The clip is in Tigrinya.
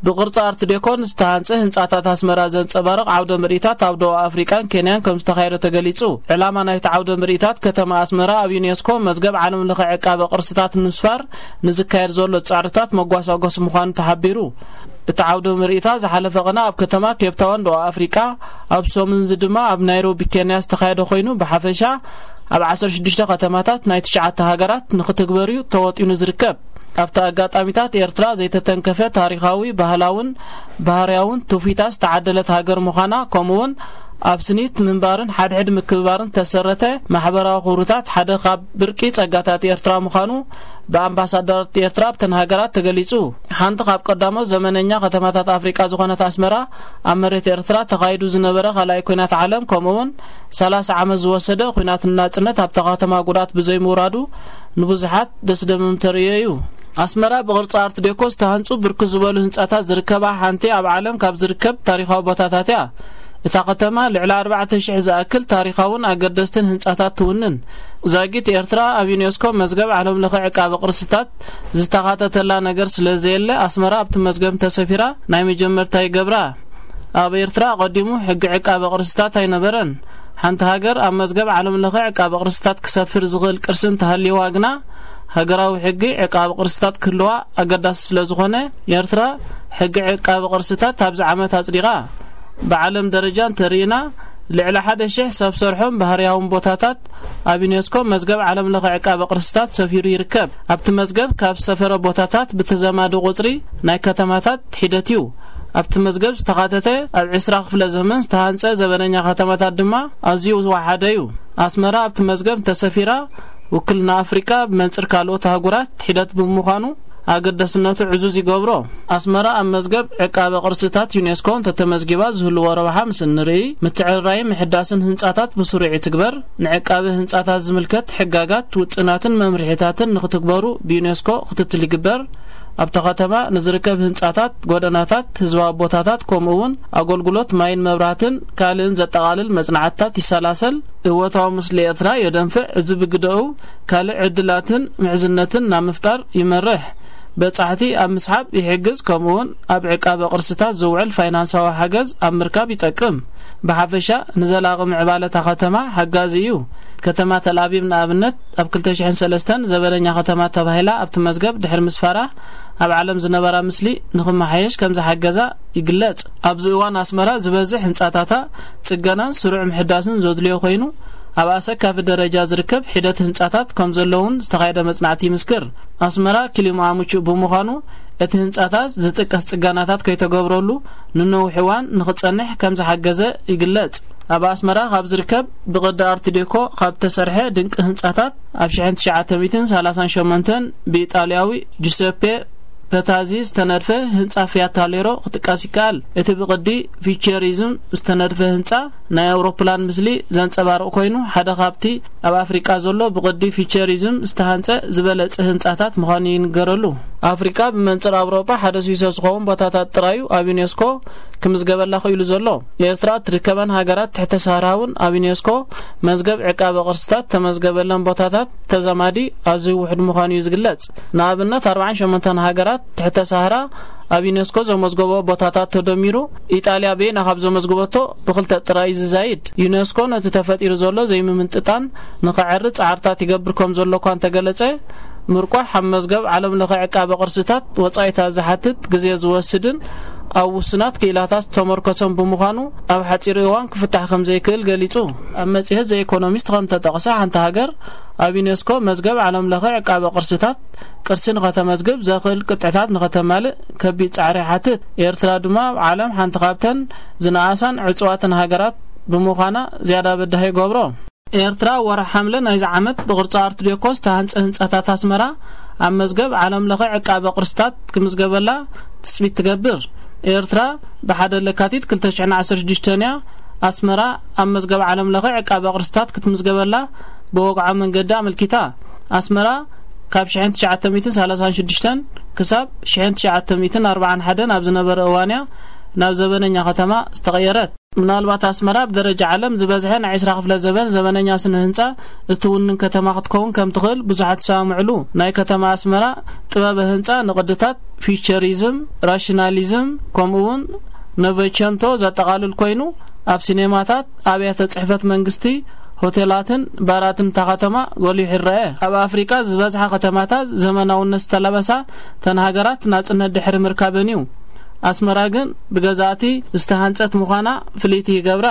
ብቕርጺ ኣርት ዴኮ ዝተሃንጸ ህንጻታት ኣስመራ ዘንጸባርቕ ዓውደ ምርኢታት ኣብ ደቡብ ኣፍሪቃን ኬንያን ከም ዝተኻየደ ተገሊጹ። ዕላማ ናይቲ ዓውደ ምርኢታት፣ ከተማ ኣስመራ ኣብ ዩኔስኮ መዝገብ ዓለም ለኸ ዕቃበ ቅርስታት ንምስፋር ንዝካየድ ዘሎ ጻዕርታት መጓሳጎሲ ምዃኑ ተሓቢሩ። እቲ ዓውደ ምርኢታት ዝሓለፈ ቅነ ኣብ ከተማ ኬፕታውን ደቡብ ኣፍሪቃ፣ ኣብ ሶምንዚ ድማ ኣብ ናይሮቢ ኬንያ ዝተኻየደ ኮይኑ፣ ብሓፈሻ ኣብ ዓሰርተ ሽዱሽተ ከተማታት ናይ ትሽዓተ ሃገራት ንክትግበር'ዩ ተወጢኑ ዝርከብ። ኣብቲ ኣጋጣሚታት፣ ኤርትራ ዘይተተንከፈ ታሪኻዊ፣ ባህላውን ባህርያውን ትውፊታት ዝተዓደለት ሃገር ምዃና፣ ከምኡውን ኣብ ስኒት ምንባርን ሓድሕድ ምክብባርን ዝተሰረተ ማሕበራዊ ክብርታት ሓደ ካብ ብርቂ ጸጋታት ኤርትራ ምዃኑ ብኣምባሳደራት ኤርትራ ኣብተን ሃገራት ተገሊጹ። ሓንቲ ካብ ቀዳሞት ዘመነኛ ከተማታት ኣፍሪቃ ዝኾነት ኣስመራ፣ ኣብ መሬት ኤርትራ ተኻይዱ ዝነበረ ካልኣይ ኲናት ዓለም፣ ከምኡውን ሰላሳ ዓመት ዝወሰደ ኲናት ናጽነት ኣብታ ከተማ ጉድኣት ብዘይምውራዱ፣ ንብዙሓት ደስደምም ተርእዮ እዩ። ኣስመራ ብቕርጺ ኣርት ዴኮ ዝተሃንጹ ብርክት ዝበሉ ህንጻታት ዝርከባ ሓንቲ ኣብ ዓለም ካብ ዝርከብ ታሪኻዊ ቦታታት እያ። እታ ከተማ ልዕሊ ኣርባዕተ ሽሕ ዝኣክል ታሪኻውን ኣገደስትን ህንጻታት ትውንን። ዛጊት ኤርትራ ኣብ ዩኔስኮ መዝገብ ዓለም ለኸ ዕቃበ ቅርስታት ዝተኻተተላ ነገር ስለ ዘየለ፣ ኣስመራ ኣብቲ መዝገብ እንተሰፊራ ናይ መጀመርታ ይገብራ። ኣብ ኤርትራ ኣቐዲሙ ሕጊ ዕቃበ ቅርስታት ኣይነበረን። ሓንቲ ሃገር ኣብ መዝገብ ዓለም ለኸ ዕቃበ ቅርስታት ክሰፍር ዝኽእል ቅርሲ እንተሃልይዋ ግና፣ ሃገራዊ ሕጊ ዕቃበ ቅርስታት ክህልዋ ኣገዳሲ ስለ ዝኾነ፣ ኤርትራ ሕጊ ዕቃበ ቅርስታት ኣብዚ ዓመት ኣጽዲቓ። ብዓለም ደረጃ እንተርኢና፣ ልዕሊ ሓደ ሽሕ ሰብ ሰርሖን ባህርያውን ቦታታት ኣብ ዩኔስኮ መዝገብ ዓለም ለኸ ዕቃበ ቅርስታት ሰፊሩ ይርከብ። ኣብቲ መዝገብ ካብ ዝሰፈረ ቦታታት ብተዛማዲ ቁጽሪ ናይ ከተማታት ሒደት እዩ። ኣብቲ መዝገብ ዝተኻተተ፣ ኣብ ዕስራ ክፍለ ዘመን ዝተሃንጸ ዘበነኛ ከተማታት ድማ ኣዝዩ ዝወሓደ እዩ። ኣስመራ ኣብቲ መዝገብ እንተሰፊራ፣ ውክልና ኣፍሪቃ ብመንጽር ካልኦት ኣህጉራት ሒደት ብምዃኑ፣ ኣገዳስነቱ ዕዙዝ ይገብሮ። ኣስመራ ኣብ መዝገብ ዕቃበ ቅርስታት ዩኔስኮ እንተተመዝጊባ ዝህልዎ ረብሓ ምስ እንርኢ፣ ምትዕርራይን ምሕዳስን ህንጻታት ብስሩዕ ይትግበር። ንዕቃበ ህንጻታት ዝምልከት ሕጋጋት፣ ውጥናትን መምርሒታትን ንክትግበሩ ብዩኔስኮ ክትትል ይግበር። ኣብታ ከተማ ንዝርከብ ህንጻታት፣ ጎደናታት፣ ህዝባዊ ቦታታት፣ ከምኡ እውን ኣገልግሎት ማይን መብራህትን ካልእን ዘጠቓልል መጽናዕትታት ይሰላሰል። እወታዊ ምስሊ ኤርትራ የደንፍዕ። እዚ ብግደኡ ካልእ ዕድላትን ምሕዝነትን ናብ ምፍጣር ይመርሕ። በጻሕቲ ኣብ ምስሓብ ይሕግዝ፣ ከምኡውን ኣብ ዕቃበ ቅርስታት ዝውዕል ፋይናንሳዊ ሓገዝ ኣብ ምርካብ ይጠቅም። ብሓፈሻ ንዘላቒ ምዕባለ እታ ከተማ ሓጋዚ እዩ። ከተማ ተልኣቪቭ ንኣብነት ኣብ ክልተ ሽሕን ሰለስተን ዘበነኛ ከተማ ተባሂላ ኣብቲ መዝገብ ድሕሪ ምስፋራ፣ ኣብ ዓለም ዝነበራ ምስሊ ንኽመሓየሽ ከም ዝሓገዛ ይግለጽ። ኣብዚ እዋን ኣስመራ ዝበዝሕ ህንጻታታ ጽገናን ስሩዕ ምሕዳስን ዘድልዮ ኮይኑ፣ ኣብ ኣሰካፊ ደረጃ ዝርከብ ሒደት ህንጻታት ከም ዘለውን ዝተኻየደ መጽናዕቲ ይምስክር። ኣስመራ ክሊማኣ ምቹእ ብምዃኑ፣ እቲ ህንጻታት ዝጥቀስ ጽገናታት ከይተገብረሉ ንነዊሕ እዋን ንኽጸንሕ ከም ዝሓገዘ ይግለጽ። ኣብ ኣስመራ ካብ ዝርከብ ብቕዲ ኣርት ዴኮ ካብ ዝተሰርሐ ድንቂ ህንጻታት፣ ኣብ ሽሕን ትሽዓተ ሚእትን ሰላሳን ሸሞንተን ብኢጣልያዊ ጁሰፔ ፐታዚ ዝተነድፈ ህንጻ ፊያት ታሌሮ ክጥቀስ ይከኣል። እቲ ብቕዲ ፊቸሪዝም ዝተነድፈ ህንጻ፣ ናይ ኣውሮፕላን ምስሊ ዘንጸባርቕ ኮይኑ፣ ሓደ ካብቲ ኣብ ኣፍሪቃ ዘሎ ብቕዲ ፊቸሪዝም ዝተሃንጸ ዝበለጸ ህንጻታት ምዃኑ ይንገረሉ። ኣፍሪቃ ብመንጽር ኣውሮጳ ሓደ ስዊሶ ዝኸውን ቦታታት ጥራዩ ኣብ ዩኔስኮ ክምዝገበላ ክኢሉ ዘሎ። ኤርትራ እትርከበን ሃገራት ትሕተ ሳህራ እውን ኣብ ዩኔስኮ መዝገብ ዕቃበ ቅርስታት ተመዝገበለን ቦታታት ተዛማዲ ኣዝዩ ውሑድ ምዃኑ እዩ ዝግለጽ። ንኣብነት፣ ኣርባዓን ሸሞንተን ሃገራት ትሕተ ሳህራ ኣብ ዩኔስኮ ዘመዝገበኦ ቦታታት ተደሚሩ፣ ኢጣልያ በይና ካብ ዘመዝገበቶ ብኽልተ ጥራይ እዩ ዝዛይድ። ዩኔስኮ ነቲ ተፈጢሩ ዘሎ ዘይምምጥጣን ንኸዕሪ ጻዕርታት ይገብር ከም ዘሎ እኳ እንተገለጸ፣ ምርቋሕ ኣብ መዝገብ ዓለም ለኸ ዕቃበ ቅርስታት ወጻኢታት ዝሓትት፣ ግዜ ዝወስድን ኣብ ውሱናት ክኢላታት ዝተመርኮሰን ብምዃኑ፣ ኣብ ሓጺር እዋን ክፍታሕ ከም ዘይክእል ገሊጹ። ኣብ መጽሔት ዘ ኢኮኖሚስት ከም ተጠቕሰ፣ ሓንቲ ሃገር ኣብ ዩኔስኮ መዝገብ ዓለም ለኸ ዕቃበ ቅርስታት ቅርሲ ንኸተመዝግብ ዘኽእል ቅጥዕታት ንኸተማልእ ከቢድ ጻዕሪ ይሓትት። ኤርትራ ድማ ኣብ ዓለም ሓንቲ ካብተን ዝነኣሳን ዕጹዋትን ሃገራት ብምዃና፣ ዝያዳ በዳሂ ይገብሮ። ኤርትራ፣ ወርሒ ሓምለ ናይዚ ዓመት ብቕርጺ ኣርት ዴኮ ዝተሃንጸ ህንጻታት ኣስመራ ኣብ መዝገብ ዓለም ለኸ ዕቃበ ቅርስታት ክምዝገበላ ትጽቢት ትገብር። ኤርትራ፣ ብሓደ ለካቲት ክልተ ሽሕን ዓሰርተ ሽዱሽተን እያ ኣስመራ ኣብ መዝገብ ዓለም ለኸ ዕቃበ ቅርስታት ክትምዝገበላ ብወግዓዊ መንገዲ ኣመልኪታ። ኣስመራ፣ ካብ ሽሕን ትሽዓተ ሚእትን ሰላሳን ሽዱሽተን ክሳብ ሽሕን ትሽዓተ ሚእትን ኣርባዓን ሓደን ኣብ ዝነበረ እዋን እያ ናብ ዘበነኛ ከተማ ዝተቐየረት። ምናልባት ኣስመራ ብደረጃ ዓለም ዝበዝሐ ናይ ዕስራ ክፍለ ዘበን ዘመነኛ ስነ ህንጻ እትውንን ከተማ ክትከውን ከም ትኽእል ብዙሓት ይሰማምዕሉ። ናይ ከተማ ኣስመራ ጥበበ ህንጻ ንቕድታት፣ ፊውቸሪዝም፣ ራሽናሊዝም፣ ከምኡ እውን ኖቨቸንቶ ዘጠቓልል ኮይኑ፣ ኣብ ሲኔማታት፣ ኣብያተ ጽሕፈት መንግስቲ፣ ሆቴላትን ባራትን እታ ከተማ ጎሊሑ ይረአ። ኣብ ኣፍሪቃ ዝበዝሓ ከተማታት ዘመናውነት ዝተላበሳ እተን ሃገራት ናጽነት ድሕሪ ምርካበን እዩ። ኣስመራ ግን ብገዛእቲ ዝተሃንጸት ምዃና ፍልይቲ ይገብራ።